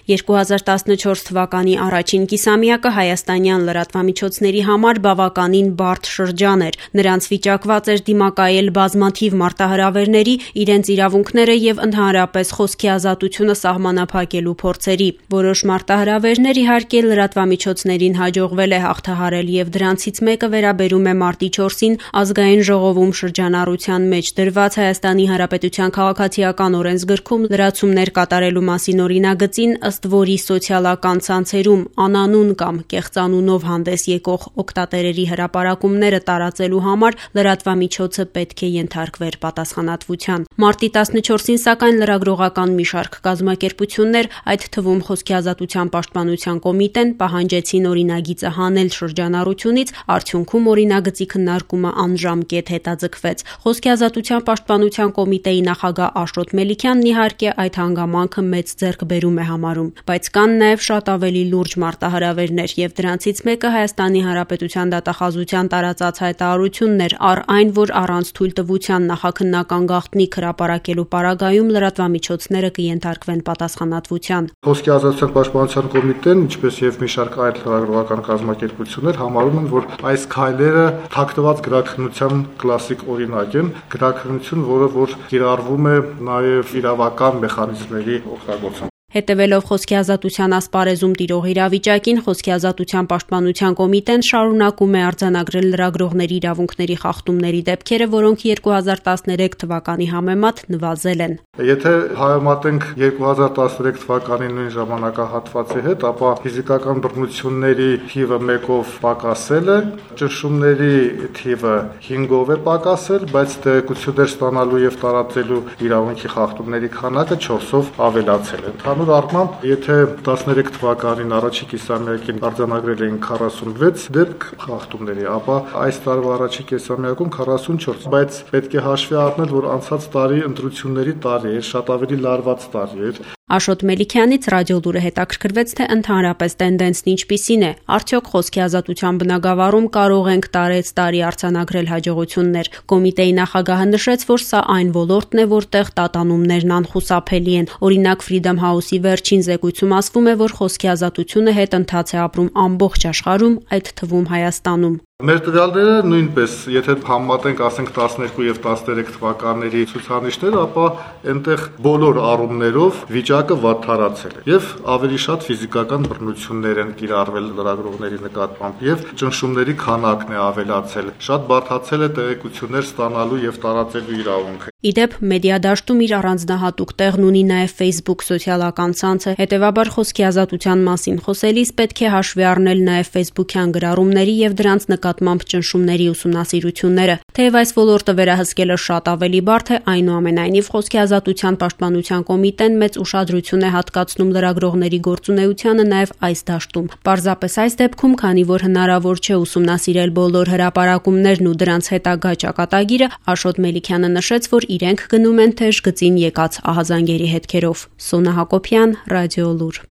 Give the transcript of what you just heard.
2014 թվականի առաջին կիսամյակը հայաստանյան լրատվամիջոցների համար բավականին բարդ շրջան էր։ Նրանց վիճակված էր դիմակայել բազմաթիվ մարտահրավերների, իրենց իրավունքները եւ ընդհանրապես խոսքի ազատությունը սահմանափակելու փորձերի։ Որոշ մարտահրավերներ իհարկե լրատվամիջոցներին հաջողվել է հաղթահարել եւ դրանցից մեկը վերաբերում է մարտի 4-ին ազգային ժողովում շրջանառության մեջ դրված Հայաստանի Հանրապետության քաղաքացիական օրենսգրքում լրացումներ կատարելու մասին օրինագծին, ըստ որի սոցիալական ցանցերում անանուն կամ կեղծանունով հանդես եկող օգտատերերի հրապարակումները տարածելու համար լրատվամիջոցը պետք է ենթարկվեր պատասխանատվության։ Մարտի 14-ին սակայն լրագրողական մի շարք կազմակերպություններ, այդ թվում Խոսքի ազատության պաշտպանության կոմիտեն, պահանջեցին օրինագիծը հանել շրջանառությունից, արդյունքում օրինագծի քննարկումը անժամկետ հետաձգվեց։ Խոսքի ազատության պաշտպանության կոմիտեի նախագահ Աշոտ Մելիքյանն իհարկե այդ հանգամանքը մեծ ձեռքբերում է համարում, բայց կան նաև շատ ավելի լուրջ մարտահրավերներ եւ դրանցից մեկը Հայաստանի Հանրապետության դատախազության տարածած հայտարարությունն էր առ այն, որ առանց թույլտվության նախաքննական գաղտնիք հրապարակելու պարագայում լրատվամիջոցները կենթարկվեն պատասխանատվության։ Խոսքի ազատության պաշտպանության կոմիտեն, ինչպես եւ մի շարք այլ լրագրողական կազմակերպություններ համարում են, որ այս քայլերը թաքնված գրաքննության կլասիկ օրինակ են, գրաքննություն, որը կիրառվում է նաև իրավական մեխանիզմների օգտագործում։ Հետևելով խոսքի ազատության ասպարեզում տիրող իրավիճակին, Խոսքի ազատության պաշտպանության կոմիտեն շարունակում է արձանագրել լրագրողների իրավունքների խախտումների դեպքերը, որոնք 2013 թվականի համեմատ նվազել են։ Եթե համեմատենք 2013 թվականի նույն ժամանակահատվածի հետ, ապա ֆիզիկական բռնությունների թիվը 1-ով պակասել է, ճնշումների թիվը 5-ով է պակասել, բայց տեղեկություններ ստանալու եւ տարածելու իրավունքի խախտումների քանակը 4-ով ավելացել է։ Ընդհանուր առմամբ, եթե 13 թվականին առաջին կիսամյակին արձանագրել էին 46 դեպք խախտումների, ապա այս տարվա առաջին կիսամյակում 44, բայց պետք է հաշվի առնել, որ անցած տարի ընտրությունների տարի էր, շատ ավելի լարված տարի էր։ Աշոտ Մելիքյանից Ռադիոլուրը հետաքրքրվեց, թե ընդհանրապես տենդենսն ինչպիսին է, արդյոք խոսքի ազատության բնագավառում կարող ենք տարեցտարի արձանագրել հաջողություններ։ Կոմիտեի նախագահը նշեց, որ սա այն ոլորտն է, որտեղ տատանումներն անխուսափելի են։ Օրինակ Freedom House-ի վերջին զեկույցում ասվում է, որ խոսքի ազատությունը հետընթաց է ապրում ամբողջ աշխարհում, այդ թվում Հայաստանում։ Մեր տվյալները նույնպես, եթե համեմատենք, ասենք 12 եւ 13 թվականների ցուցանիշները, ապա այնտեղ բոլոր առումներով վիճակը վատթարացել է եւ ավելի շատ ֆիզիկական բռնություններ են կիրառվել լրագրողների նկատմամբ եւ ճնշումների քանակն է ավելացել։ Շատ բարդացել է տեղեկություններ ստանալու եւ տարածելու իրավունքը։ Իդեպ մեդիադաշտում իր առանձնահատուկ տեղն ունի նաև Facebook սոցիալական ցանցը, հետևաբար խոսքի ազատության մասին խոսելիս պետք է հաշվի առնել նաև Facebook-յան գրառումների եւ դրանց նկատմամբ ճնշումների ուսումնասիրությունները։ Թեև այս ոլորտը վերահսկելը շատ ավելի բարդ է, այնուամենայնիվ Խոսքի ազատության պաշտպանության կոմիտեն մեծ ուշադրություն է հատկացնում լրագրողների գործունեությանը նաև այս դաշտում։ Պարզապես այս դեպքում, քանի որ հնարավոր չէ ուսումնասիրել բոլոր հրապարակումներն ու դրանց հետագա ճակատագիրը, Աշոտ Մելիքյանը նշեց, որ իրենք գնում են թեժ գծին եկած ահազանգերի հետքերով։ Սոնա Հակոբյան, Ռադիոլուր։